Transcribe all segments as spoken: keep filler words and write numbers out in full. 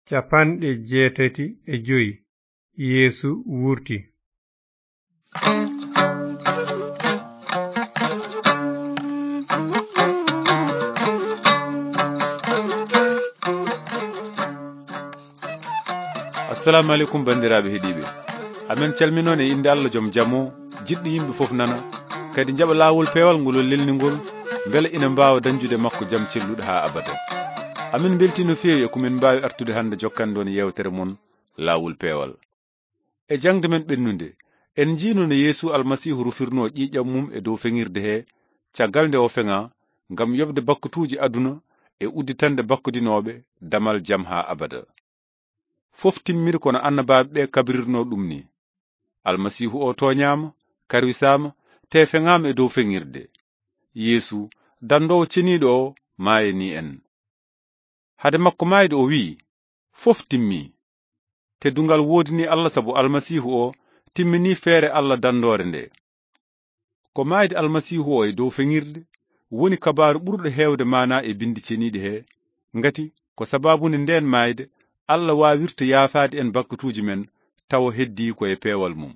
Capanɗe jeetati e joy. Yeesu wurti. Assalamu aleykum, banndiraaɓe heɗiiɓe. Amen calminoon e innde Allah joom jam o, jiɗɗo yimɓe fof nana, kadi njaɓa laawol peewal ngol o lelni ngol, mbele ina mbaawa dañjude makko jam celluɗo haa abada. Amin mbeltii no feewi e ko min mbaawi artude hannde jokkande on yeewtere mon, Laawol Peewal. E jaŋde men ɓennunde, en njiino no Yeesu Almasiihu rufirnoo ƴiiƴam mum e dow feŋirde he, caggal nde o feŋaa, ngam yoɓde bakkutuuji aduna e udditande bakkodinooɓe damal jam haa abada. Fof timmiri ko no annabaaɓe ɓe kabrirnoo ɗum ni. Almasiihu o tooñaama, karwisaama, te feŋaama e dow feŋirde. Yeesu, danndoowo ceniiɗo o, maayanii en. Hade makko maayde o wi'i, "Fof timmii." Teddungal woodinii Allah sabu Almasiihu o timminii feere Allah danndoore nde. Ko maayde Almasiihu o e dow feŋirde woni kabaaru ɓurɗo heewde maanaa e Binndi Ceniiɗi he, ngati ko sabaabu nde ndeen maayde Allah waawirta yaafaade en bakkutuuji men tawa heddii ko e peewal mum.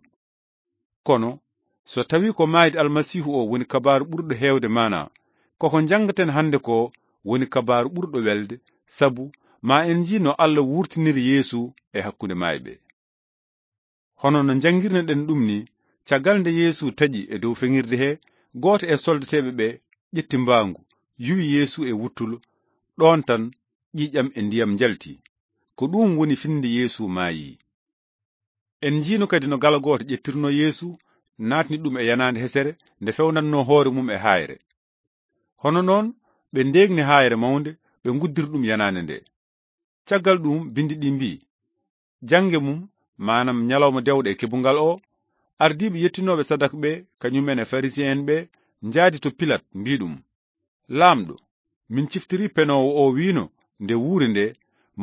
Kono, so tawii ko maayde Almasiihu o woni kabaaru ɓurɗo heewde maanaa, koko njanngaten hannde ko woni kabaaru ɓurɗo welde, sabu ma en njii no Allah wurtiniri Yeesu e hakkunde maayɓe. Hono no njanngirnoɗen ɗum ni, caggal nde Yeesu taƴi e dow feŋirde he, gooto e soldateeɓe ɓe ƴetti mbaangu, yuwi Yeesu e wuttulo, ɗoon tan ƴiiƴam e ndiyam njalti. Ko ɗum woni finnde Yeesu maayii. En njiino kadi no gala gooto ƴettirnoo Yeesu, naatni ɗum e yanaande hesere nde fewnatnoo hoore mum e haayre. Hono noon, ɓe ndeegni haayre mawnde, ɓe nguddiri ɗum yanaande nde. Caggal ɗum, binndi ɗi mbii, jannge mum, maanam ñalawma dewɗe e kebungal o, ardiiɓe yettinooɓe sadak ɓe, kañum en e Farisi'en ɓe, njaadi to Pilat, mbii ɗum, "Laamɗo, min ciftirii penoowo o wiino, nde wuuri nde,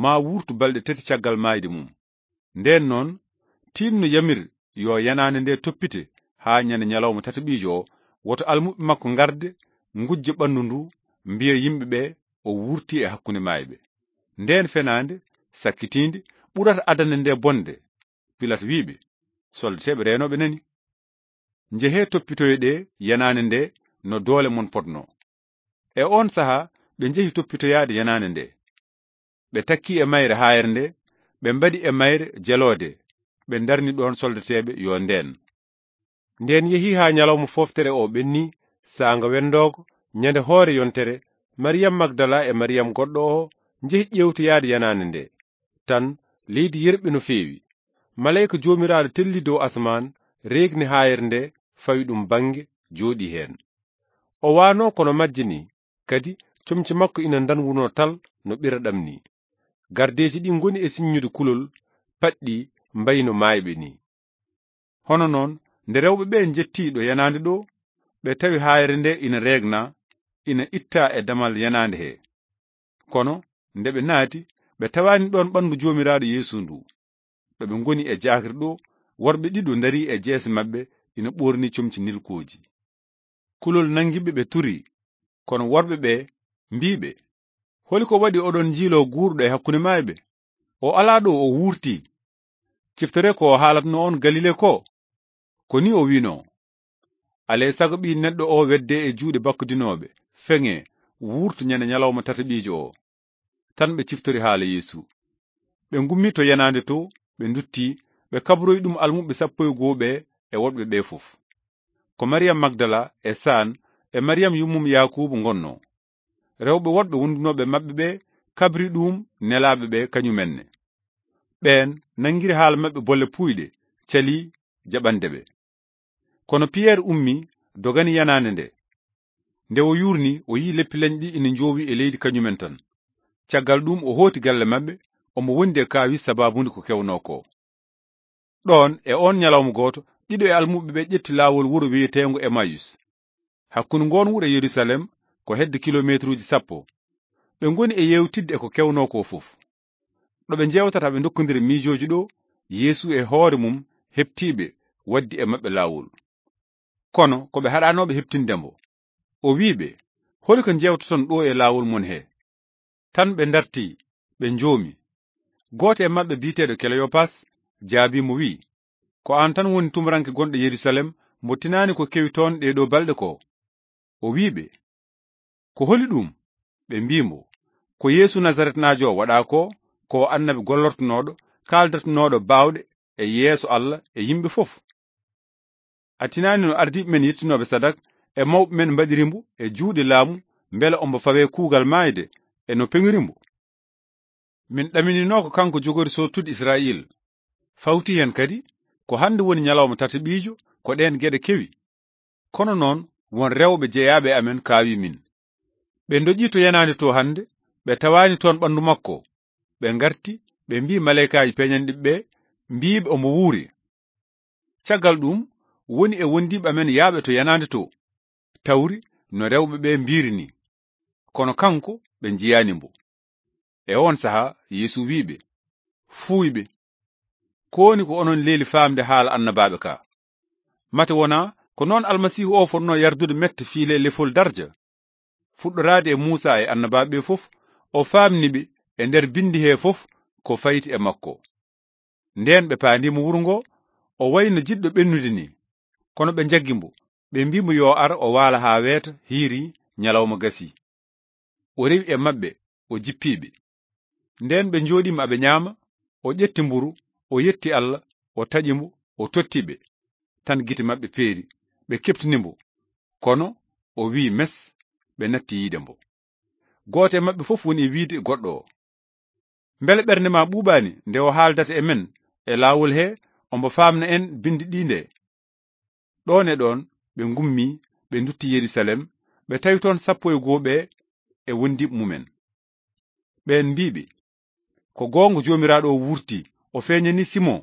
maa wuurtu balɗe tati caggal maayde mum." Ndeen noon, tiinno yamir yo yanaande nde toppite haa ñande ñalawma tataɓiijo o, woto almuɓɓe makko ngarde, ngujja ɓanndu ndu, mbiya yimɓe ɓe o wuurti e hakkunde maayɓe. Ndeen fenaande, sakkitiinde, ɓurata adannde nde bonde. Pilat wi'i ɓe, soldateeɓe reenooɓe nani, "Njehee toppitoye ɗe yanaande nde no doole mon potnoo." E oon sahaa, ɓe njehi toppitoyaade yanaande nde. Ɓe takkii e mayre haayre nde, ɓe mbaɗi e mayre jeloode, ɓe ndarni ɗoon soldateeɓe yo ndeen. Ndeen yehii haa ñalawma fooftere o ɓenni, saanga wenndoogo, ñande hoore yontere, Mariyam Magdala e Mariyam goɗɗo o njehi ƴeewtoyaade yanaande nde. Tan, leydi yerɓi no feewi. Maleyka Joomiraaɗo telli dow asamaan, reegni haayre nde, fawi ɗum bannge, jooɗii heen. O waanoo kono majje ni, kadi comci makko ina ndanwunoo tal no ɓiraɗam ni. Gardeeji ɗi ngoni e siññude kulol, paɗɗi mbayno maayɓe ni. Hono noon, nde rewɓe ɓe njettii ɗo yanaande ɗo, ɓe tawi haayre nde ina reegna, ina ittaa e damal yanaande he. Kono nde ɓe naati, ɓe tawaani ɗoon ɓanndu Joomiraaɗo Yeesu ndu. Ɗo ɓe ngoni e jaakri ɗo, worɓe ɗiɗo ndarii e jeese maɓɓe, ina ɓoorni comci nilkooji. Kulol nanngi ɓe, ɓe turii. Kono worɓe ɓe mbii ɓe, "Holi ko waɗi oɗon njiiloo guurɗo e hakkunde maayɓe? O alaa ɗo, o wuurtii. Ciftoree ko o haalatnoo on Galile ko. Ko ni o wiinoo, 'Alee sago Ɓii Neɗɗo o weddee e juuɗe bakkodinooɓe, feŋee, wuurtu ñande ñalawma tataɓiijo o.'" Tan ɓe ciftori haala Yeesu. Ɓe ngummii to yanaande to, ɓe nduttii, ɓe kabroyi ɗum almuɓɓe sappo e goo ɓe e woɗɓe ɓe fof. Ko Mariyam Magdala e Saan e Mariyam yummum Yaakuubu ngonnoo. Rewɓe woɗɓe wondunooɓe maɓɓe ɓe kabri ɗum nelaaɓe ɓe kañumenne. Ɓeen nanngiri haala maɓɓe bolle puuyɗe, calii jaɓande ɓe. Kono Piyeer ummii, dogani yanaande nde. Nde o yuurnii, o yi'i leppi leñɗi ina njoowi e leydi kañumen tan. Caggal ɗum o hooti galle maɓɓe, omo wondi e kaawis sabaabu nde ko kewnoo ko. Ɗoon, e oon ñalawma gooto, ɗiɗo e almuɓɓe ɓe ƴetti laawol wuro wiyeteengo Emayus. Hakkunde ngoon wuro e Yerusalem ko hedde kilomeetruuji sappo. Ɓe ngoni e yeewtidde e ko kewnoo ko fof. Ɗo ɓe njeewtata, ɓe ndokkondira miijooji ɗo, Yeesu e hoore mum heɓtii ɓe, waddi e maɓɓe laawol. Kono ko ɓe haɗaanooɓe heɓtinde mbo. O wi'i ɓe, "Holi ko njeewtoton ɗo e laawol mon he?" Tan ɓe ndartii, ɓe njoomi. Gooto e maɓɓe bi'eteeɗo Kleyopas jaabii mo wi'i, "Ko aan tan woni tumuranke gonɗo Yerusaalem mo tinaani ko kewi toon ɗee ɗoo balɗe ko?" O wi'i ɓe, "Ko holi ɗum?" Ɓe mbi'i mo, "Ko Yeesu Nasaretnaajo o waɗaa ko, ko o annabi gollortonooɗo, kaaldatonooɗo baawɗe e yeeso Allah e yimɓe fof. A tinaani no ardiiɓe men yettinooɓe sadak e mawɓe men mbaɗiri mbo e juuɗe laamu, mbele ombo fawee kuugal maayde e no peŋiri mbo? Min ɗaminino ko kanko jogori sootude Israayiila. Fawti heen kadi, ko hannde woni ñalawma tataɓiijo ko ɗeen geɗe kewi. Kono noon, won rewɓe jeyaaɓe e amen kaawi min. Ɓe ndoƴii to yanaande to hannde, ɓe tawaani toon ɓanndu makko. Ɓe ngarti, ɓe mbi'i maleykaaji peeñanɗi ɓe, mbi'iɓe ombo wuuri. Caggal ɗum, woni e wondiiɓe amen yaaɓe to yanaande to, tawri no rewɓe ɓe mbiiri ni. Kono kanko, ɓe njiyaani mbo." E oon sahaa, Yeesu wi'i ɓe, "Fuuyɓe, ko woni ko onon leeli faamde haala annabaaɓe ka? Mate wonaa ko noon Almasiihu o fotnoo yardude mette fii le lefol darja?" Fuɗɗoraade e Muusaa e annabaaɓe ɓe fof, o faamni ɓe e nder binndi hee fof ko fayti e makko. Ndeen ɓe paandii mo wuro ngo, o wayi no jiɗɗo ɓennude ni. Kono ɓe njaggi mbo, ɓe mbii mo yo ar o waala haa weeta, hiiri, ñalawma gasii. O rewi e maɓɓe, o jippii ɓe. Ndeen ɓe njooɗii mo aɓe ñaama, o ƴetti mburu, o yetti Allah, o taƴi mbo, o totti ɓe. Tan gite maɓɓe peeri, ɓe keɓtini mbo. Kono o wi'i mes, ɓe natti yiide mbo. Gooto e maɓɓe fof woni e wiide goɗɗo o, "Mbele ɓernde ma ɓuuɓaani nde o haaldata e men e laawol he, ombo faamna en binndi ɗi nde?" Ɗoon e ɗoon ɓe ngummii, ɓe ndutti Yerusaalem, ɓe tawi toon sappo e goo ɓe e wondiiɓe mumen. Ɓeen mbii ɓe, "Ko goonga Joomiraaɗo o wuurti, o feeñani Simon."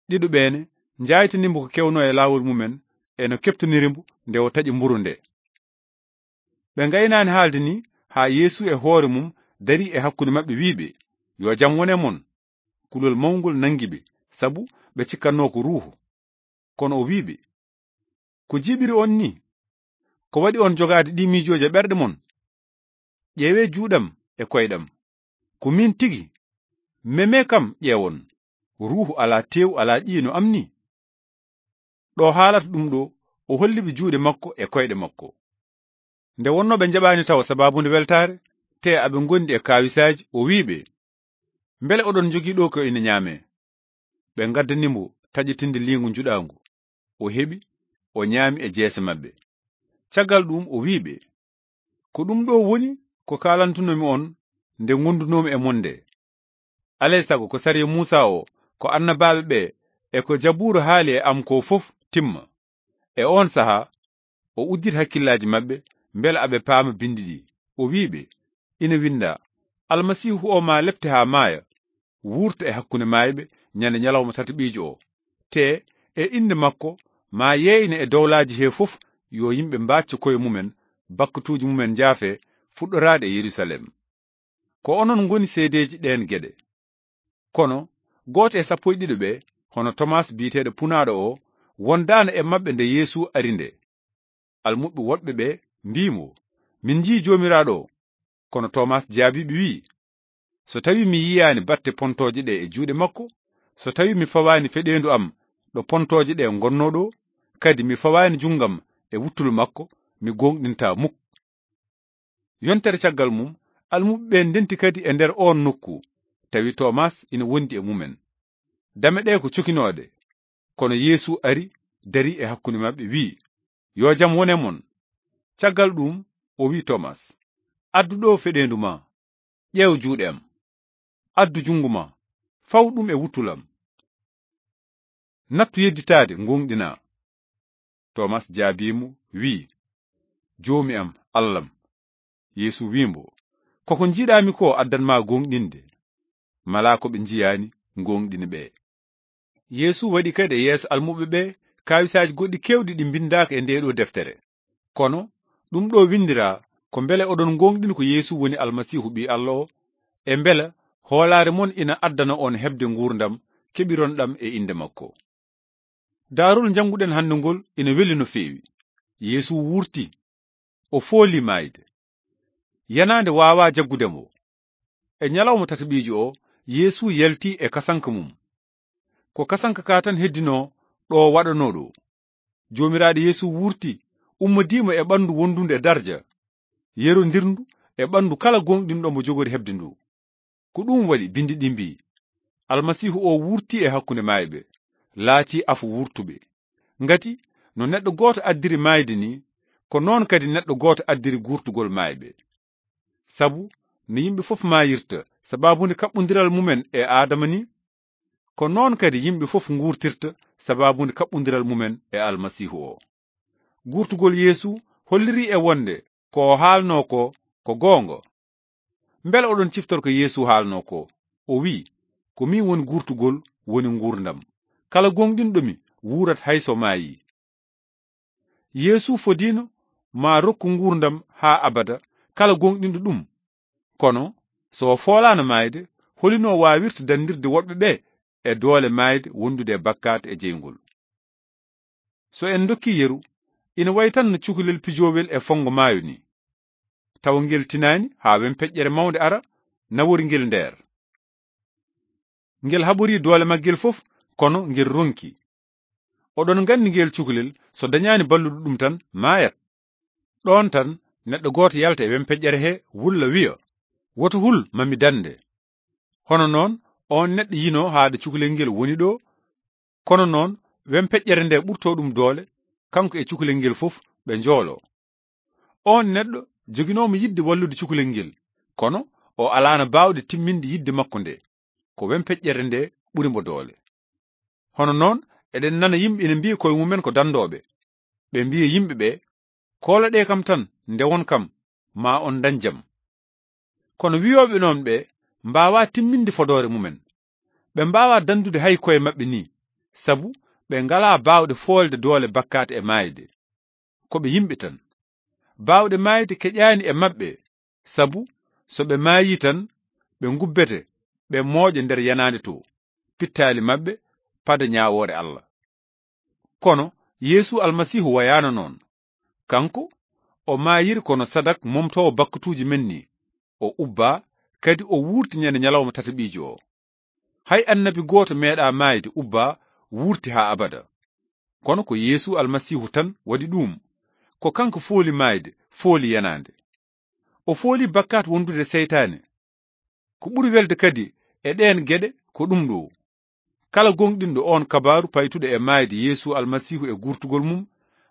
Ɗiɗo ɓeene njaaytani mbo ko kewnoo e laawol mumen e no keɓtoniri mbo nde o taƴi mburu nde. Ɓe ngaynaani haalde ni haa Yeesu e hoore mum darii e hakkunde maɓɓe, wi'i ɓe, "Yo jam won e mon." Kulol mawngol nanngi ɓe, sabu ɓe cikkatnoo ko ruuhu. Kono o wi'i ɓe, "Ko jiiɓiri on ni? Ko waɗi on jogaade ɗii miijooji e ɓerɗe mon? Ƴeewee juuɗam e koyɗam. Ko miin tigi. Memee kam ƴeewon. Ruuhu alaa teewu, alaa ƴiye no am ni." Ɗo haalata ɗum ɗo, o holli ɓe juuɗe makko e koyɗe makko. Nde wonnoo ɓe njaɓaani tawa sabaabu nde weltaare, te aɓe ngondi e kaawisaaji, o wi'i ɓe, "Mbele oɗon njogii ɗo ko ina ñaamee?" Ɓe ngaddani mbo taƴetinde liingu njuɗaangu. O heɓi, o ñaami e jeese maɓɓe. Caggal ɗum o wi'i ɓe, "Ko ɗum ɗo woni ko kaalantunoomi on nde ngondunoomi e mon nde. Alay sago ko sariya Muusaa o, ko annabaaɓe ɓe, e ko Jabuura haali e am ko fof timma." E oon sahaa, o udditi hakkillaaji maɓɓe, mbela aɓe paama binndi ɗi. O wi'i ɓe, "Ina winndaa, Almasiihu o maa lepte haa maaya, wuurta e hakkunde maayɓe ñande ñalawma tataɓiijo o. Te e innde makko, maa yeeyne e dowlaaji he fof, yo yimɓe mbaacco koye mumen, bakkatuuji mumen njaafe, fuɗɗoraade e Yerusaalem." Ko onon ngoni seedeeji ɗeen geɗe. Kono gooto e sappo e ɗiɗo ɓe, hono Tomas biyeteeɗo Punaaɗo o, wondaano e maɓɓe nde Yeesu ari nde. Almuɓɓe woɗɓe ɓe mbii mo, "Min njii Joomiraaɗo o." Kono Tomas jaabii ɓe wi'i, "So tawii mi yiyaani batte pontooje ɗe e juuɗe makko, so tawii mi fawaani feɗeendu am ɗo pontooje ɗe ngonnoo ɗo, kadi mi fawaani junngam e wuttulu makko, mi gooŋɗintaa muk." Yontere caggal mum, almuɓɓe ɓe ndenti kadi e nder oon nokku, tawi Tomas ina wondi e mumen. Dame ɗe ko cokinooɗe, kono Yeesu ari, darii e hakkunde maɓɓe, wi'i, "Yo jam won e mon." Caggal ɗum, o wi'i Tomas, "Addu ɗo feɗeendu ma, ƴeew juuɗe am, addu junngo ma, faw ɗum e wuttulu am. Nattu yedditaade, ngooŋɗinaa." Tomas jaabii mo, wi'i, "Joomi am, Allah am." Yeesu wi'i mo, "Koko njiiɗaami ko addan ma gooŋɗinde, malaa ko ɓe njiyaani gooŋɗini ɓe." Yeesu waɗi kadi e yeeso almuɓɓe ɓe kaawisaaji goɗɗi keewɗi ɗi mbinndaaka e ndee ɗoo deftere. Kono ɗum ɗoo winndiraa ko mbele oɗon ngooŋɗini ko Yeesu woni Almasiihu Ɓii Allah o, e mbela hoolaare mon ina addana on heɓde nguurndam keɓiron ɗam e innde makko. Daarol njannguɗen hannde ngol ina weli no feewi. Yeesu wuurti, o fooli maayde. Yanaande waawaa jaggude mo. E ñalawma tataɓiijo o, Yeesu yalti e kasanka mum. Ko kasanka ka tan heddinoo ɗo waɗanoo ɗo. Joomiraaɗo Yeesu wurti, ummodiimo e ɓanndu wondundu e darja, yerondirndu e ɓanndu kala gooŋɗinɗo mo jogori heɓde ndu. Ko ɗum waɗi binndi ɗi mbii, "Almasiihu o wurti e hakkunde maayɓe, laati afo wurtuɓe." Ngati no neɗɗo gooto addiri maayde ni, ko noon kadi neɗɗo gooto addiri guurtugol maayɓe. Sabu no yimɓe fof maayirta sabaabu nde kaɓɓondiral mumen e Aadama ni, ko noon kadi yimɓe fof nguurtirta sabaabu nde kaɓɓondiral mumen e Almasiihu o. Guurtugol Yeesu hollirii e wonde ko o haalnoo ko, ko goonga. Mbele oɗon ciftora ko Yeesu haalnoo ko? O wi'i, "Ko min woni guurtugol, woni nguurndam. Kala gooŋɗinɗo mi wuurat hay so maayi." Yeesu fodiino ma rokku nguurndam haa abada kala gooŋɗinɗo ɗum. Kono so o foolaano maayde, holino waawirta danndirde woɗɓe ɓe e doole maayde wondude e bakkaat e jeyngol? So en ndokkii yeru, ina wayi tan no cukalel pijoowel e fonngo maayo ni. Tawa ngel tinaani haa wempeƴƴere mawnde ara, nawori ngel nder. Ngel haɓorii doole maggel fof, kono ngel ronki. Oɗon nganndi ngel cukalel, so dañaani balluɗo ɗum tan, maayat. Ɗoon tan, neɗɗo gooto yalta e wempeƴƴere he, wulla wiya, "Woto hul, ma mi dannde." Hono noon, oon neɗɗo yino haade cukalel ngel woni ɗo, kono noon, wempeƴƴere nde ɓurtoo ɗum doole, kanko e cukalel ngel fof ɓe njooloo. Oon neɗɗo joginoomo yiɗde wallude cukalel ngel, kono o alaano baawɗe timminde yiɗde makko nde, ko wempeƴƴere nde ɓuri mo doole. Hono noon, eɗen nana yimɓe ina mbiya koye mumen ko danndooɓe. Ɓe mbiya yimɓe ɓe, "Kooloɗee kam tan, ndewon kam, ma on ndañ jam." Kono wiyooɓe noon ɓe mbaawaa timminde fodoore mumen. Ɓe mbaawaa danndude hay koye maɓɓe ni, sabu ɓe ngalaa baawɗe foolde doole bakkaat e maayde. Ko ɓe yimɓe tan. Baawɗe maayde keƴaani e maɓɓe, sabu so ɓe maayii tan, ɓe ngubbete, ɓe mooƴa nder yanaande to, pittaali maɓɓe pada ñaawoore Allah. Kono Yeesu Almasiihu wayaano noon. Kanko, o maayiri kono sadak momtoowo bakkatuuji men ni. O ubbaa, kadi o wuurti ñande ñalawma tataɓiijo o. Hay annabi gooto meeɗaa maayde ubbaa wuurti haa abada. Kono ko Yeesu Almasiihu tan waɗi ɗuum. Ko kanko fooli maayde, fooli yanaande. O fooli bakkaat wondude seytaane. Ko ɓuri welde kadi e ɗeen geɗe ko ɗum ɗo. Kala gooŋɗinɗo oon kabaaru paytuɗo e maayde Yeesu Almasiihu e guurtugol mum,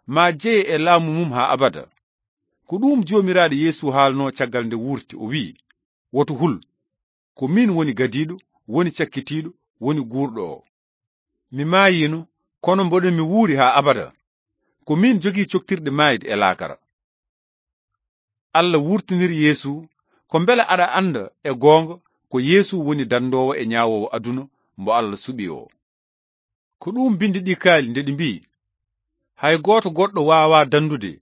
maa jeye e laamu mum haa abada. Ko ɗuum Joomiraaɗo Yeesu haalnoo caggal nde wuurti, o wi'i, "Woto hul, ko miin woni gadiiɗo, woni cakkitiiɗo, woni guurɗo o. Mi maayiino, kono mboɗo mi wuuri haa abada. Ko miin jogii coktirɗe maayde e laakara." Allah wurtiniri Yeesu, ko mbele aɗa annda e goonga ko Yeesu woni danndoowo e ñaawoowo aduna mbo Allah suɓi o. Ko ɗuum binndi ɗi kaali nde ɗi mbii, "Hay gooto goɗɗo waawaa danndude,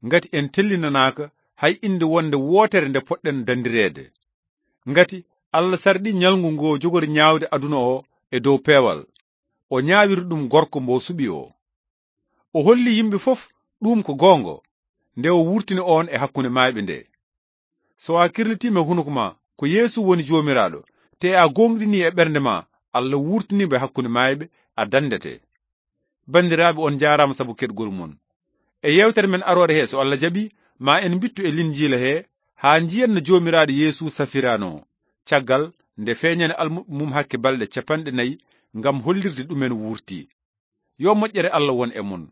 ngati en tellinanaaka hay innde wonde wootere nde poɗɗen danndireede." Ngati Allah sarɗi ñalngu ngo jogori ñaawde aduna o e dow peewal, o ñaawiri ɗum gorko mbo suɓi o. O holli yimɓe fof ɗum ko goonga, nde o wurtini oon e hakkunde maayɓe nde. So a kirlitiima e hunuko ma ko Yeesu woni Joomiraaɗo, te a gooŋɗinii e ɓernde ma Allah wurtiniimo e hakkunde maayɓe, a danndete. Banndiraaɓe, on njaaraama sabu keɗgol mon. E yeewtere men aroore he, so Allah jaɓi, ma en mbittu e Linjiila he, haa njiyen no Joomiraaɗo Yeesu safirano, caggal nde feeñani almuɓɓe mum hakke balɗe capanɗe nayi ngam hollirde ɗumen wurti. Yo moƴƴere Allah won e mon.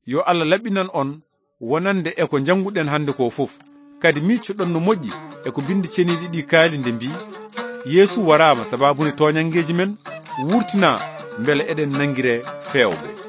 Yo Allah laɓɓinan on wonande e ko njannguɗen hannde ko fof. Kadi miiccoɗon no moƴƴi e ko binndi ceniiɗi ɗi kaali nde mbii, Yeesu waraama sabaabu nde tooñanngeeji men, wurtinaa mbele eɗen nanngiree feewɓe.